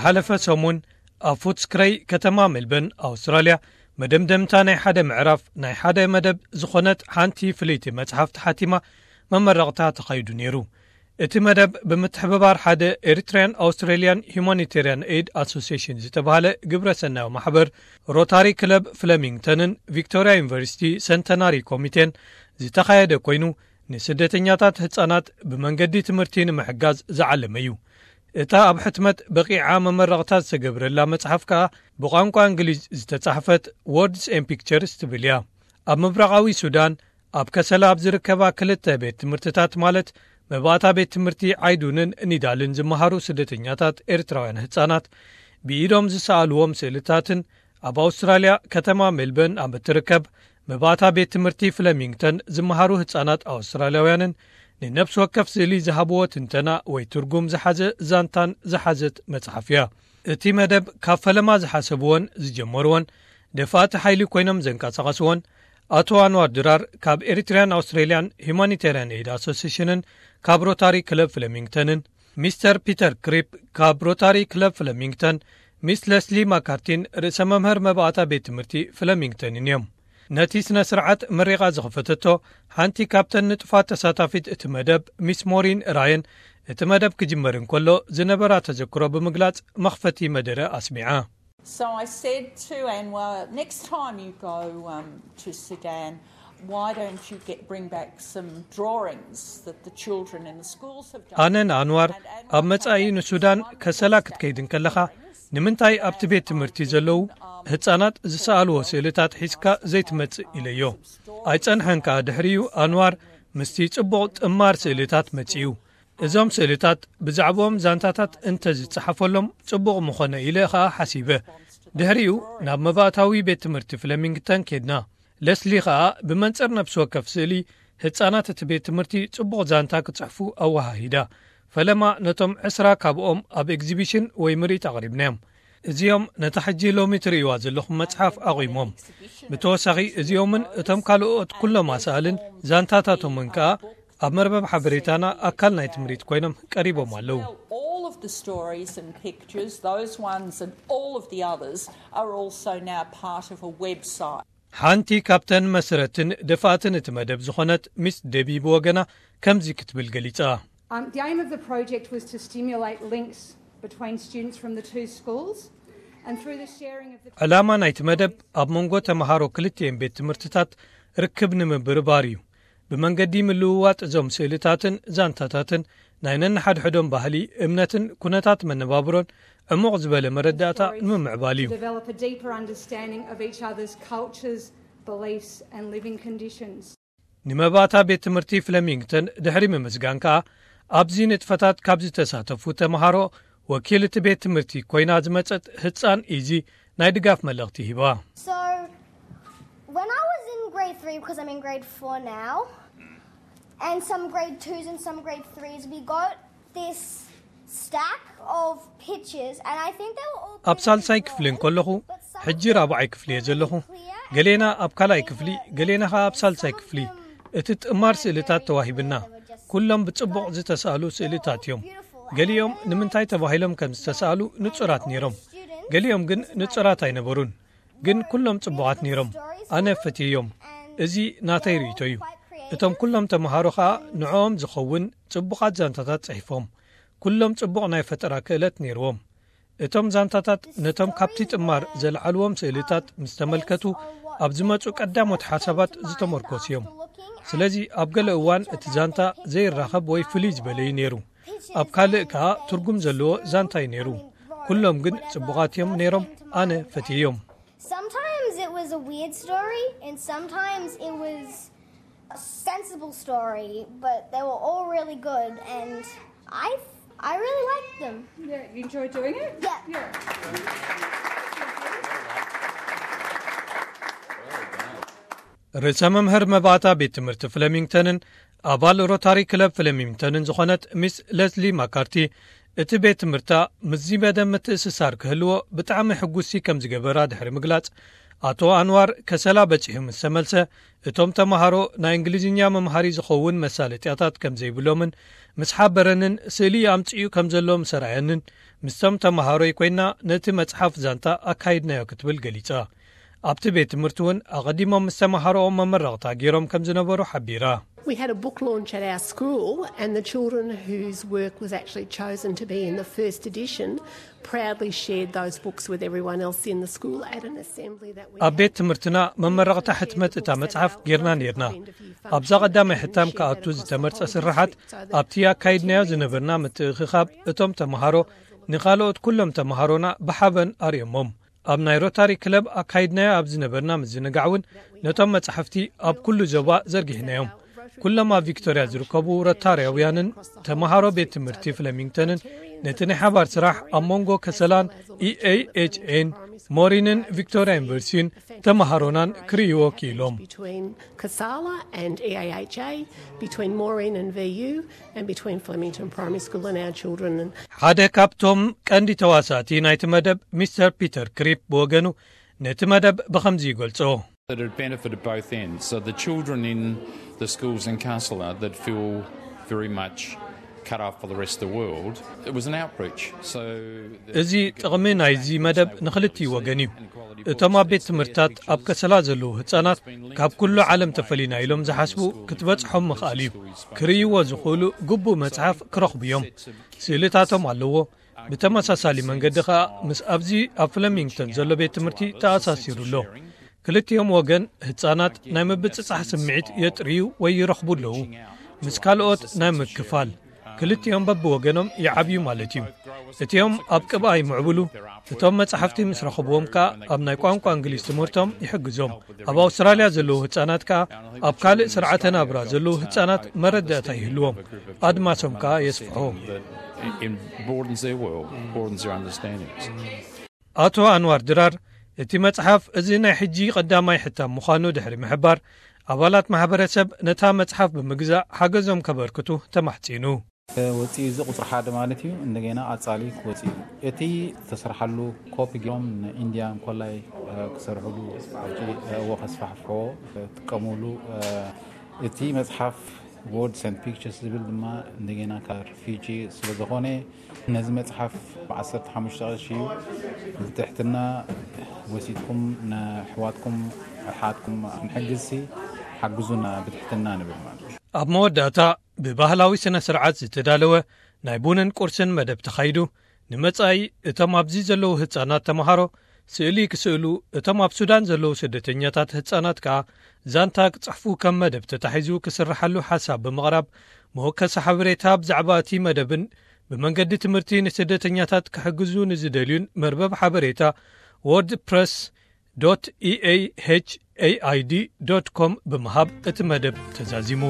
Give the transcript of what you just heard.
ሓለፈ ሰሙን ኣብ ፉትስክረይ ከተማ ሜልበርን ኣውስትራልያ፣ መደምደምታ ናይ ሓደ ምዕራፍ ናይ ሓደ መደብ ዝኾነት ሓንቲ ፍልይቲ መጽሓፍ ተሓቲማ መመረቕታ ተኻይዱ ነይሩ። እቲ መደብ ብምትሕብባር ሓደ ኤሪትሪያን ኣውስትራሊያን ሁማኒቴሪያን ኤድ ኣሶሲሽን ዝተባህለ ግብረ ሰናዮ ማሕበር፣ ሮታሪ ክለብ ፍለሚንግተንን ቪክቶሪያ ዩኒቨርሲቲ ሰንተናሪ ኮሚቴን ዝተኻየደ ኮይኑ፣ ንስደተኛታት ህጻናት ብመንገዲ ትምህርቲ ንምሕጋዝ ዝዓለመ እዩ። እታ ኣብ ሕትመት በቂዓ መመረቕታ ዝተገብረላ መጽሓፍ ከኣ ብቋንቋ እንግሊዝ ዝተጻሕፈት ወርድስ ኤን ፒክቸርስ ትብል እያ። ኣብ ምብራቓዊ ሱዳን ኣብ ከሰላ ኣብ ዝርከባ ክልተ ቤት ትምህርትታት ማለት መባእታ ቤት ትምህርቲ ዓይዱንን ኒዳልን ዝመሃሩ ስደተኛታት ኤርትራውያን ህጻናት ብኢዶም ዝሰኣልዎም ስእልታትን ኣብ ኣውስትራልያ ከተማ ሜልበርን ኣብ እትርከብ መባእታ ቤት ትምህርቲ ፍለሚንግተን ዝመሃሩ ህጻናት ኣውስትራልያውያንን ንነፍሲ ወከፍ ስእሊ ዝሃብዎ ትንተና ወይ ትርጉም ዝሓዘ ዛንታን ዝሓዘት መጽሓፍ እያ። እቲ መደብ ካብ ፈለማ ዝሓሰብዎን ዝጀመርዎን ደፋእቲ ሓይሊ ኮይኖም ዘንቀሳቐስዎን ኣቶ ኣንዋር ድራር ካብ ኤሪትሪያን ኣውስትሬልያን ሁማኒቴሪያን ኤድ ኣሶሲሽንን ካብ ሮታሪ ክለብ ፍለሚንግተንን፣ ሚስተር ፒተር ክሪፕ ካብ ሮታሪ ክለብ ፍለሚንግተን፣ ሚስ ለስሊ ማካርቲን ርእሰ መምህር መባእታ ቤት ትምህርቲ ፍለሚንግተንን እዮም። ነቲ ስነ ስርዓት መሪቓ ዝኸፈተቶ ሓንቲ ካብተን ንጡፋት ተሳታፊት እቲ መደብ ሚስ ሞሪን ራየን፣ እቲ መደብ ክጅመር እንከሎ ዝነበራ ተዘክሮ ብምግላጽ መኽፈቲ መደረ ኣስሚዓ። So I said to Anwar, next time you go um, to Sudan, why don't you get bring back some drawings that the children in the schools have done? ኣነ ንኣንዋር፣ ኣብ መጻኢ ንሱዳን ከሰላ ክትከይድ እንከለኻ፣ ንምንታይ ኣብቲ ቤት ትምህርቲ ዘለዉ ህጻናት ዝሰኣልዎ ስእልታት ሒዝካ ዘይትመጽእ ኢለዮ። ኣይጸንሐን ከኣ ድሕሪኡ ኣንዋር ምስቲ ጽቡቕ ጥማር ስእልታት መጺኡ። እዞም ስእልታት ብዛዕባኦም ዛንታታት እንተ ዝጸሓፈሎም ጽቡቕ ምኾነ ኢለ ኸኣ ሓሲበ። ድሕሪኡ ናብ መባእታዊ ቤት ትምህርቲ ፍለሚንግተን ኬድና። ለስሊ ኸኣ ብመንጽር ነፍሲ ወከፍ ስእሊ ህጻናት እቲ ቤት ትምህርቲ ጽቡቕ ዛንታ ክጽሕፉ ኣወሃሂዳ። ፈለማ ነቶም ዕስራ ካብኦም ኣብ ኤግዚቢሽን ወይ ምርኢት ኣቕሪብናዮም። እዚኦም ነታ ሕጂ ሎሚ ትርእይዋ ዘለኹም መጽሓፍ ኣቑሞም። ብተወሳኺ እዚኦምን እቶም ካልኦት ኩሎም ኣሳእልን ዛንታታቶምን ከኣ ኣብ መርበብ ሓበሬታና ኣካል ናይ ትምሪት ኮይኖም ቀሪቦም ኣለዉ። All of the stories and pictures, those ones and all of the others, are also now part of a website. ሓንቲ ካብተን መስረትን ደፋእትን እቲ መደብ ዝኾነት ሚስ ደቢ ብወገና ከምዚ ክትብል ገሊጻ። Um, the aim of the project was to stimulate links between students from the two schools and through the sharing of the ዕላማ ናይቲ መደብ ኣብ መንጎ ተምሃሮ ክልቲኤን ቤት ትምህርትታት ርክብ ንምብርባር እዩ። ብመንገዲ ምልውዋጥ እዞም ስእልታትን ዛንታታትን ናይ ነንሓድሕዶም ባህሊ፣ እምነትን ኩነታት መነባብሮን ዕሙቕ ዝበለ መረዳእታ ንምምዕባል እዩ። Develop a deeper understanding of each other's cultures, beliefs and living conditions. ንመባእታ ቤት ትምህርቲ ፍለሚንግተን ድሕሪ ምምስጋን ከኣ ኣብዚ ንጥፈታት ካብ ዝተሳተፉ ተምሃሮ ወኪል እቲ ቤት ትምህርቲ ኮይና ዝመጸት ህጻን ኢዚ ናይ ድጋፍ መልእኽቲ ሂባ። So, when I was in grade three, because I'm in grade four now, and some grade twos and some grade threes, we got this stack of pictures, and I think they were all ኣብ ሳልሳይ ክፍሊ እንከለኹ፣ ሕጂ ራብዓይ ክፍሊ እየ ዘለኹ። ገሌና ኣብ ካልኣይ ክፍሊ፣ ገሌና ኸኣ ኣብ ሳልሳይ ክፍሊ። እቲ ጥማር ስእልታት ተዋሂብና። ኩሎም ብጽቡቕ ዝተሳእሉ ስእልታት እዮም። ገሊኦም ንምንታይ ተባሂሎም ከም ዝተሳእሉ ንጹራት ነይሮም። ገሊኦም ግን ንጹራት ኣይነበሩን። ግን ኩሎም ጽቡቓት ነይሮም። ኣነ ፈትየዮም። እዚ ናተይ ርእይቶ እዩ። እቶም ኩሎም ተምሃሮ ኸኣ ንዕኦም ዝኸውን ጽቡቓት ዛንታታት ጽሒፎም። ኩሎም ጽቡቕ ናይ ፈጠራ ክእለት ነይርዎም። እቶም ዛንታታት ነቶም ካብቲ ጥማር ዘልዓልዎም ስእልታት ምስ ተመልከቱ ኣብ ዝመጹ ቀዳሞት ሓሳባት ዝተመርኮሱ እዮም። ስለዚ ኣብ ገለ እዋን እቲ ዛንታ ዘይራኸብ ወይ ፍልይ ዝበለ እዩ ነይሩ። ኣብ ካልእ ከኣ ትርጉም ዘለዎ ዛንታ እዩ ነይሩ። ኩሎም ግን ጽቡቓት እዮም ነይሮም። ኣነ ፈትየዮም። Sometimes it was a weird story, and sometimes it was a sensible story, but they were all really good, and I I really liked them. Yeah, you enjoy doing it? Yeah. ርእሰ መምህር መባእታ ቤት ትምህርቲ ፍለሚንግተንን ኣባል ሮታሪ ክለብ ፍለሚንግተንን ዝኾነት ሚስ ለስሊ ማካርቲ፣ እቲ ቤት ትምህርታ ምስዚ መደብ ምትእስሳር ክህልዎ ብጣዕሚ ሕጉሲ ከም ዝገበራ ድሕሪ ምግላጽ፣ ኣቶ ኣንዋር ከሰላ በጺሑ ምስ ተመልሰ፣ እቶም ተማሃሮ ናይ እንግሊዝኛ መምሃሪ ዝኸውን መሳለጥያታት ከም ዘይብሎምን ምስ ሓበረንን፣ ስእሊ ኣምጺኡ ከም ዘሎ ምስ ኣርኣየንን፣ ምስቶም ተማሃሮይ ኮይና ነቲ መጽሓፍ ዛንታ ኣካይድናዮ ክትብል ገሊጻ። ኣብቲ ቤት ትምህርቲ እውን ኣቐዲሞም ምስ ተማሃሮኦም መመረቕታ ገይሮም ከም ዝነበሩ ሓቢራ። We had a book launch at our school, and the children whose work was actually chosen to be in the first edition proudly shared those books with everyone else in the school at an assembly that we ኣብ ቤት ትምህርትና መመረቕታ ሕትመት እታ መጽሓፍ ጌርና ኔርና። ኣብዛ ቀዳማይ ሕታም ክኣቱ ዝተመርጸ ስርሓት፣ ኣብቲ ኣካይድናዮ ዝነበርና ምትእኽኻብ፣ እቶም ተምሃሮ ንኻልኦት ኩሎም ተምሃሮና ብሓበን ኣርእዮሞም። ኣብ ናይ ሮታሪ ክለብ ኣካይድናዮ ኣብ ዝነበርና ምዝንጋዕ እውን፣ ነቶም መጻሕፍቲ ኣብ ኩሉ ዞባ ዘርጊሕናዮም። ኩሎም ኣብ ቪክቶርያ ዝርከቡ ሮታርያውያንን ተምሃሮ ቤት ትምህርቲ ፍለሚንግተንን ነቲ ናይ ሓባር ስራሕ ኣብ መንጎ ከሰላን ኢኤይኤችኤን፣ ሞሪንን ቪክቶርያ ዩኒቨርሲቲን ተምሃሮናን ክርእይዎ ክኢሎም። Between Casala and E A H A, between Maureen and V U, and between Flemington Primary School and our children. ሓደ ካብቶም ቀንዲ ተዋሳእቲ ናይቲ መደብ፣ ሚስተር ፒተር ክሪፕ ብወገኑ፣ ነቲ መደብ ብኸምዚ ይገልጾ። That it benefited both ends. So the children in the schools in Kassala that feel very much cut off for the rest of the world, it was an outreach. So እዚ ጥቕሚ ናይዚ መደብ ንኽልቲኡ ወገን እዩ። እቶም ኣብ ቤት ትምህርትታት ኣብ ከሰላ ዘለዉ ህጻናት፣ ካብ ኩሉ ዓለም ተፈሊና ኢሎም ዝሓስቡ ክትበጽሖም ምኽኣል እዩ። ክርእይዎ ዝኽእሉ ግቡእ መጽሓፍ ክረኽቡ እዮም። ስእልታቶም ኣለዎ። ብተመሳሳሊ መንገዲ ከኣ ምስ ኣብዚ ኣብ ፍለሚንግተን ዘሎ ቤት ትምህርቲ ተኣሳሲሩ ኣሎ። ክልቲኦም ወገን ህጻናት ናይ ምብጽጻሕ ስምዒት የጥርዩ ወይ ይረኽቡ ኣለዉ። ምስ ካልኦት ናይ ምክፋል፣ ክልቲኦም በብወገኖም ይዓብዩ ማለት እዩ። እቲኦም ኣብ ቅብኣ ይምዕብሉ። እቶም መጻሕፍቲ ምስ ረኸብዎም ከኣ ኣብ ናይ ቋንቋ እንግሊዝ ትምህርቶም ይሕግዞም። ኣብ ኣውስትራልያ ዘለዉ ህጻናት ከኣ ኣብ ካልእ ስርዓተ ናብራ ዘለዉ ህጻናት መረዳእታ ይህልዎም። ኣድማሶም ከኣ የስፍሖ። It broadens their world, broadens their understandings. ኣቶ ኣንዋር ድራር፣ እቲ መጽሓፍ እዚ ናይ ሕጂ ቀዳማይ ሕታም ምዃኑ ድሕሪ ምሕባር፣ ኣባላት ማሕበረሰብ ነታ መጽሓፍ ብምግዛእ ሓገዞም ከበርክቱ ተማሕጺኑ። ወፂኡ እዚ ቁፅሪ ሓደ ማለት እዩ። እንደገና ኣፃሊ ክወፂ እዩ። እቲ ዝተሰርሓሉ ኮፒ ገይሮም ንኢንድያ እንኮላይ ክሰርሕሉ ሕጂ እዎ ከስፋሕፍሕዎ ጥቀሙሉ። እቲ መፅሓፍ Words and Pictures ዝብል ድማ እንደገና ካብ ሪፊጂ ስለዝኾነ ነዚ መፅሓፍ ብ15 ቅርሺ እዩ። ብትሕትና ወሲድኩም ንኣሕዋትኩም ኣሓትኩም ክንሕግዝሲ ሓግዙና ብትሕትና ንብል ማለት እዩ። ኣብ መወዳእታ ብባህላዊ ስነ ስርዓት ዝተዳለወ ናይ ቡንን ቁርስን መደብ ተኻይዱ። ንመጻኢ እቶም ኣብዚ ዘለዉ ህጻናት ተምሃሮ ስእሊ ክስእሉ፣ እቶም ኣብ ሱዳን ዘለዉ ስደተኛታት ህጻናት ከኣ ዛንታ ክጽሕፉ ከም መደብ ተታሒዙ ክስርሓሉ ሓሳብ ብምቕራብ፣ መወከሲ ሓበሬታ ብዛዕባ እቲ መደብን ብመንገዲ ትምህርቲ ንስደተኛታት ክሕግዙ ንዝደልዩን መርበብ ሓበሬታ wordpress dot eahaid dot com ብምሃብ እቲ መደብ ተዛዚሙ።